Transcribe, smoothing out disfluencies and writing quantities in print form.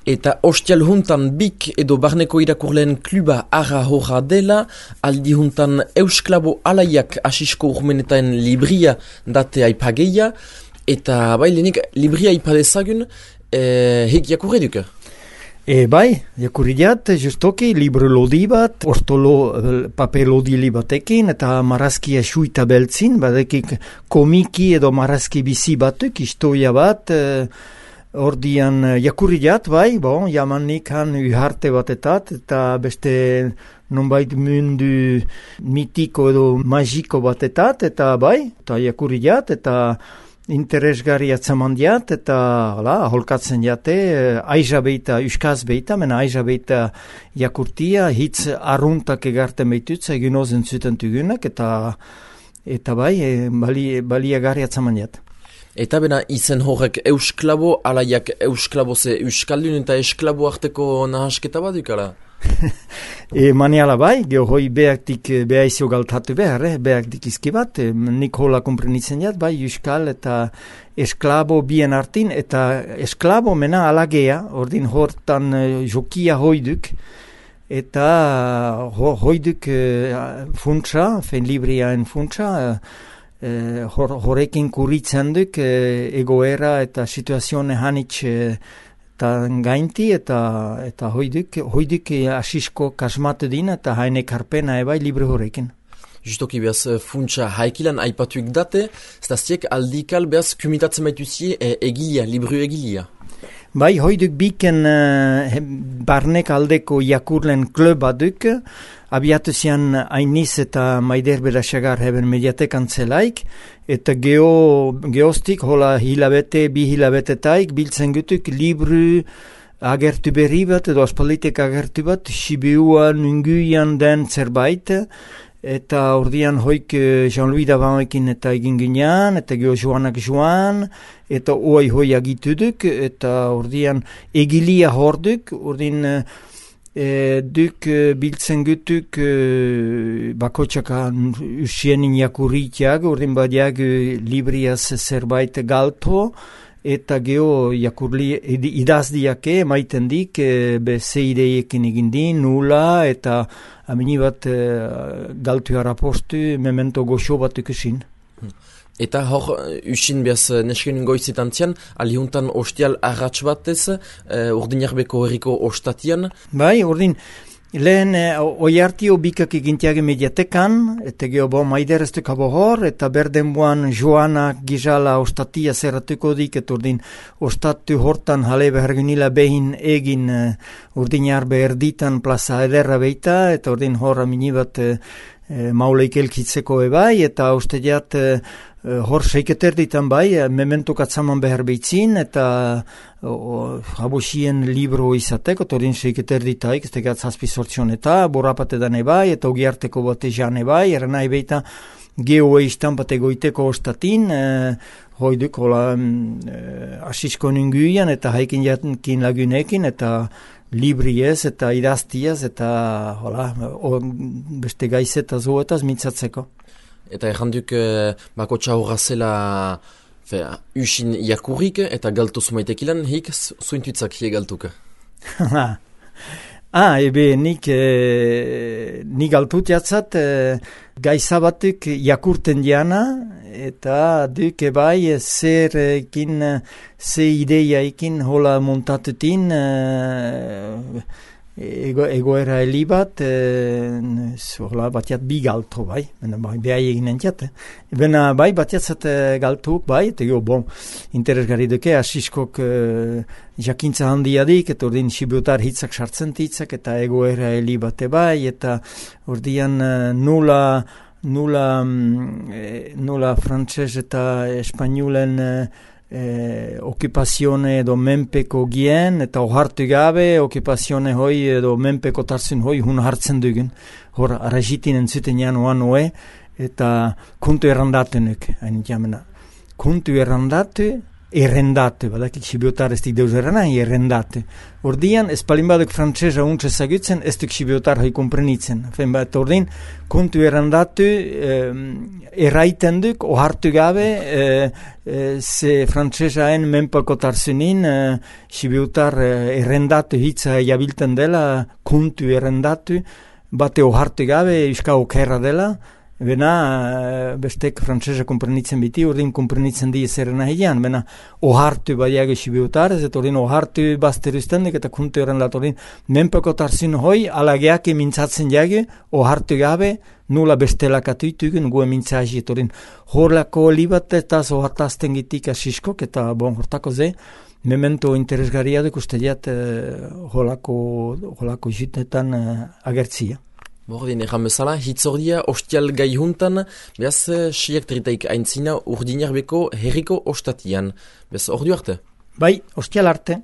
Eta ostial juntan bik edo barneko irakurleen kluba arra horra dela, aldi juntan Eusklabo alaiak asisko urmenetaen libria date aipageia, eta bai lehenik libria aipadezagun, hek jakurre duke? Bai, jakurriat, justoki, libro lodi bat, paper lodi batekin, eta marazkia suita beltzin, badekik komiki edo marazki bizi batuk, historia bat, ordian jakurriat, bai, jamanik han uharte batetat, eta beste nonbait mundu mitiko edo magiko batetat, eta bai, eta jakurriat, eta interesgarri atzamandiat, eta aholkatzen jate, aiza beita, uskaz beita, mena aiza beita jakurtia, hitz arruntak egarten beitutza, egin ozen zuten tugunak, eta bai, baliagarri atzamandiat. Eta bena izen horrek Eusklabo, alaiak Eusklabo ze Euskaldun eta Esklabo arteko nahasketa bat dukala? Maniala bai, hoi beaktik behaizio galtatu behar, beaktik izki bat, nik hola komprenitzen jat, bai, Euskal eta Esklabo bien artin, eta Esklabo mena alagea, ordin hortan jokia hoiduk, eta hoiduk funtsa, fen libriaen funtsa, horrekin kuritzen duk egoera eta situazione hanitz gainti eta hoiduk asisko kasmatu din eta haine karpena ebai libre horrekin. Justoki behaz funtsa haikilan aipatuik date, zaztiek aldikal behaz kumitatzen baituzie egilia, libru egilia. Bai, hoiduk biken barnek aldeko jakurlen kluba duk, abiatu zian Ainiz eta Maider Berasagar heben mediatekan zelaik, eta geostik hola bi hilabetetaik biltzen gutuk libru agertu berri bat edo aspalitek agertu bat, Sibiuan, Unguian den zerbait, eta ordian hoik Jean-Louis Davanekin eta egin ginean, eta geho Joanak Joan, eta hoi agituduk, eta ordian egilia horduk, ordin duk biltzen gutuk bakotxaka usienin jakurritiak, ordin badiak libriaz zerbait galto, eta geho jakurli idazdiake maiten dik ze ideiekin egindin, nula, eta amini bat galtu harapostu memento goxo bat ikusin. Eta hor, usin behaz nesken goizitan zian, alihuntan ostial arratx batez, urdinarbeko herriko ostatian. Bai, urdin, lehen oiartio bikak egintiage mediatekan, eta geho Maider ez dukabo hor, eta berdenbuan Joana Gizala ostatia zerratuko dik, eta urdin ostatu hortan jale behargunila behin egin urdinarbe erditan plaza ederra beita, eta urdin hor aminibat mauleik elkitzeko ebai, eta ustediat hor seiketer ditan bai, mementuk atzaman behar behitzin, eta habosien libro izateko, torin seiketer ditaik, ez tegat zazpi sortzion eta, borapatetan ebai, eta ogiarteko bate jan ebai, eranai beita geho eistan bate goiteko ostatin, hoiduk hola asisko ninguian, eta haikin jatin lagunekin, eta libriez, eta idaztiaz, eta hola, beste gaizeta zoetaz mitzatzeko. Eta erranduk bakotxa horra zela usin jakurrik eta galtu zumaitekilan, hik zuintuitzak hie galtuka. Ebe nik galtut jatzat gaizabatuk jakurten diana, eta duk ebai ze ideiaikin hola montatutin egoera heli bat, batiat bi galto, bai, behai eginen jat. Bena, bai, batiatzat galtuk, bai, eta interesgarri duke, asiskok jakintza handiadik, eta ordin sibutar hitzak sartzen hitzak, eta egoera heli bate bai, eta ordian nula frantses eta espainulen okupazione edo menpeko gien, eta ohartu gabe okupazione hoi edo menpeko tarzun hoi hun hartzen dugun, hor arajitin entzuten jan oan eta kuntu errandatunuk, hain jamena. Kuntu errandatu errendate, badakit sibiotar ez dik deuz errana, errendate. Ordian, ez palin baduk frantzesa untsa zagutzen, ez duk sibiotar hoi komprenitzen. Fen bat, ordin, kontu errendatu, erraiten duk, ohartu gabe, ze frantzesaen menpakotarzunin, sibiotar errendatu hitza jabilten dela, kontu errendatu, bate ohartu gabe, euska okerra dela, bena bestek frantzesa komprenitzen biti, ordin komprenitzen di zerrena hilean, bena ohartu badiago sibiotar, ez ordin ohartu bazteruztendik eta kontu errendat, ordin menpakotarzun hoi, alageak mintzatzen jage, ohartu gabe, nula bestelakatu itugun gue mintzazi, ordin horlako libat eta zohartazten gitik asiskok, eta bon, hortako ze, memento interesgarria duk uste diat holako jutetan agertzia. Bordin, erran bezala, hitzordia ostial gai juntan, behaz siak tritaik aintzina urdinarbeko herriko ostatian. Bez, ordu arte? Bai, ostial arte.